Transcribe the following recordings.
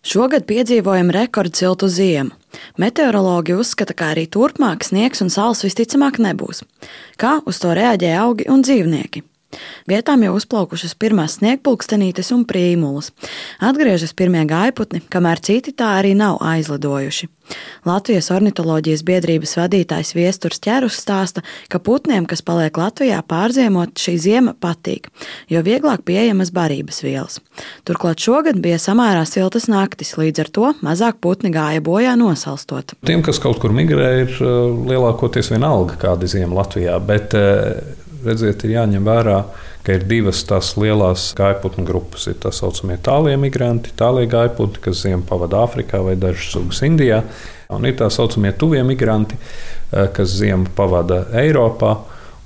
Šogad piedzīvojam rekordsiltu ziemu. Meteorologi uzskata, ka arī turpmāk sniegs un sals visticamāk nebūs. Kā uz to reaģē augi un dzīvnieki? Vietām jau uzplaukušas pirmās sniegpulkstenītes un prīmulas. Atgriežas pirmie gājputni, kamēr citi tā arī nav aizlidojuši. Latvijas ornitoloģijas biedrības vadītājs Viesturs Ķerus stāsta, ka putniem, kas paliek Latvijā pārziemot, šī ziema patīk, jo vieglāk pieejamas barības vielas. Turklāt šogad bija samērā siltas naktis, līdz ar to mazāk putni gāja bojā nosalstot. Tiem, kas kaut kur migrē, ir lielākoties vienalga kāda ziema Latvijā, bet redziet, ir jāņem vērā, ka ir divas tās lielās gājputnu grupas. Ir tā saucamie tālie migranti, tālie gājputni, kas ziemu pavada Āfrikā vai dažas sugas Indijā. Un ir tā saucamie tuvie migranti, kas ziemu pavada Eiropā.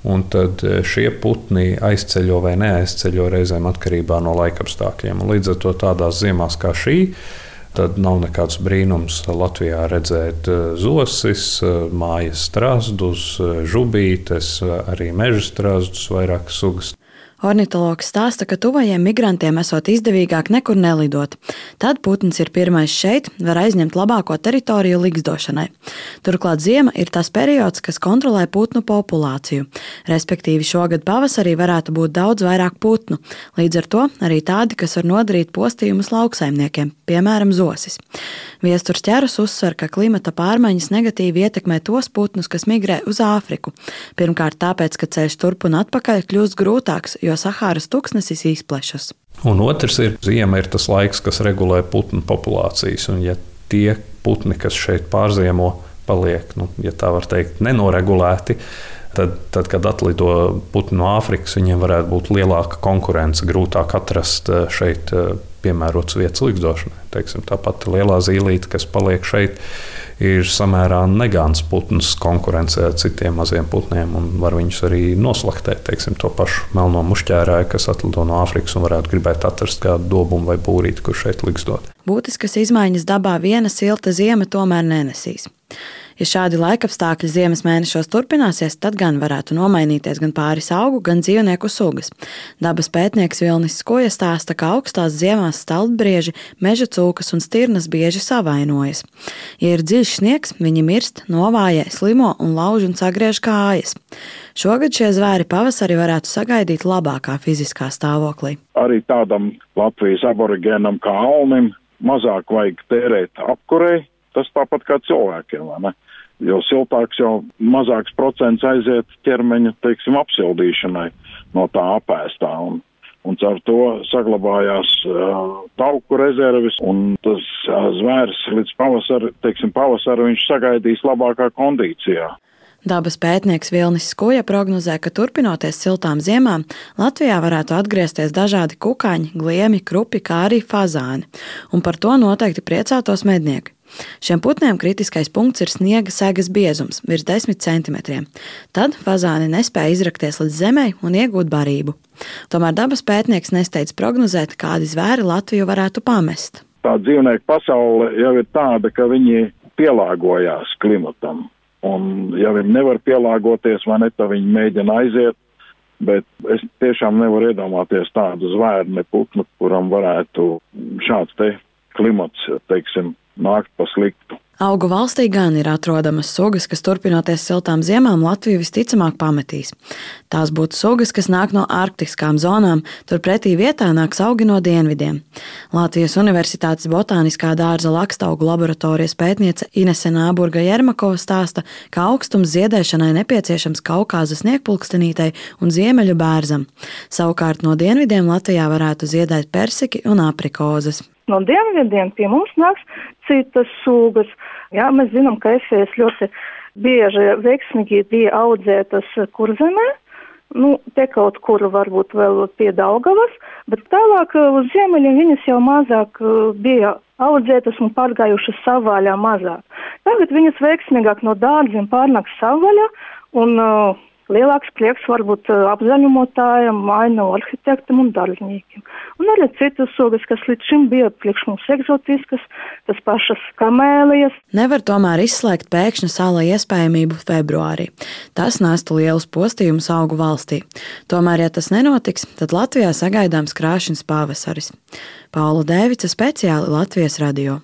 Un tad šie putni aizceļo vai neaizceļo reizēm atkarībā no laikapstākļiem. Un līdz ar to tādās ziemās kā šī, tad nav nekāds brīnums Latvijā redzēt zosis, mājas strazdus, žubītes, arī meža strazdus, vairākas sugas. Ornitologs stāsta, ka tuvajiem migrantiem esot izdevīgāk nekur nelidot. Tad putns ir pirmais šeit, var aizņemt labāko teritoriju ligzdošanai. Turklāt ziema ir tas periods, kas kontrolē putnu populāciju. Respektīvi šogad pavasarī varētu būt daudz vairāk putnu. Līdz ar to arī tādi, kas var nodarīt postījumus lauksaimniekiem, piemēram, zosis. Viesturs Ķerus uzsver, ka klimata pārmaiņas negatīvi ietekmē tos putnus, kas migrē uz Āfriku. Pirmkārt tāpēc, ka ceļš turp un atpakaļ kļūst grūtāks, jo Sahāras tuksnesis izplešas. Un otrs ir, ziema ir tas laiks, kas regulē putnu populācijas. Un ja tie putni, kas šeit pārziemo, paliek, ja tā var teikt, nenoregulēti, tad kad atlido putni no Āfrikas, viņiem varētu būt lielāka konkurence, grūtāk atrast šeit piemērotas vietas ligzdošanai. Tāpat lielā zīlīte, kas paliek šeit, ir samērā negāns putns konkurencē ar citiem maziem putniem un var viņus arī noslaktēt. To pašu melno mušķērāju, kas atlido no Āfrikas un varētu gribēt atrast kādu dobumu vai būrīti, kur šeit ligzdot. Būtiskas izmaiņas dabā viena silta ziema tomēr nenesīs. Ja šādi laikapstākļi ziemas mēnešos turpināsies, tad gan varētu nomainīties gan pāris augu, gan dzīvnieku sugas. Dabas pētnieks Vilnis Skoja stāsta, ka augstās ziemās staltbrieži, meža cūkas un stirnas bieži savainojas. Ja ir dziļš sniegs, viņi mirst, novājē, slimo un lauž un sagriež kājas. Šogad šie zvēri pavasarī varētu sagaidīt labākā fiziskā stāvoklī. Arī tādam Latvijas aborigēnam kā Alnim mazāk vajag tērēt apkurei. Tas tāpat kā cilvēkiem, vai ne? Jo siltāks, jau mazāks procents aiziet ķermeņa, apsildīšanai no tā apēstā. Un caur to saglabājās tauku rezerves, un tas zvērs līdz pavasari viņš sagaidīs labākā kondīcijā. Dabas pētnieks Vilnis Skoja prognozē, ka turpinoties siltām ziemām, Latvijā varētu atgriezties dažādi kukaiņi, gliemi, krupi, kā arī fazāni. Un par to noteikti priecātos mednieki. Šiem putniem kritiskais punkts ir sniega segas biezums, virs 10 centimetriem. Tad fazāni nespēja izrakties līdz zemei un iegūt barību. Tomēr dabas pētnieks nesteidz prognozēt, kādi zvēri Latviju varētu pamest. Tā dzīvnieku pasaule jau ir tāda, ka viņi pielāgojās klimatam. Un ja viņi nevar pielāgoties, vai ne, tad viņi mēģina aiziet, bet es tiešām nevaru iedomāties tādu zvēru ne putnu, kuram varētu šāds te klimats, nākt pa sliktu. Augu valstī gan ir atrodamas sugas, kas turpinoties siltām ziemām Latviju visticamāk pametīs. Tās būtu sugas, kas nāk no arktiskām zonām, turpretī vietā nāks augi no dienvidiem. Latvijas Universitātes botāniskā dārza lakstaugu laboratorijas pētniece Inese Nāburga Jermakova stāsta, ka augstums ziedēšanai nepieciešams Kaukāzas sniegpulkstenītei un ziemeļu bērzam. Savukārt no dienvidiem Latvijā varētu ziedēt persiki un aprikozes. No dienvidiem pie mums nāks citas sugas. Jā, mēs zinām, ka efējas ļoti bieži veiksmīgi bija audzētas Kurzemē. Te kaut kur varbūt vēl pie Daugavas, bet tālāk uz ziemeļiem viņas jau mazāk bija audzētas un pārgājušas savvaļā mazāk. Tagad viņas veiksmīgāk no dārziem pārnāk savvaļā un lielāks prieks varbūt apzaļumotājiem, ainavu arhitektam un darbiniekiem. Un arī citas sugas, kas līdz šim bija priekš mums egzotiskas, tas pašas kamēlijas. Nevar tomēr izslēgt pēkšņa sāla iespējamību februārī. Tas nestu lielus postījumus augu valstī. Tomēr, ja tas nenotiks, tad Latvijā sagaidāms krāšņs pavasaris. Paula Dēvica, speciāli Latvijas radio.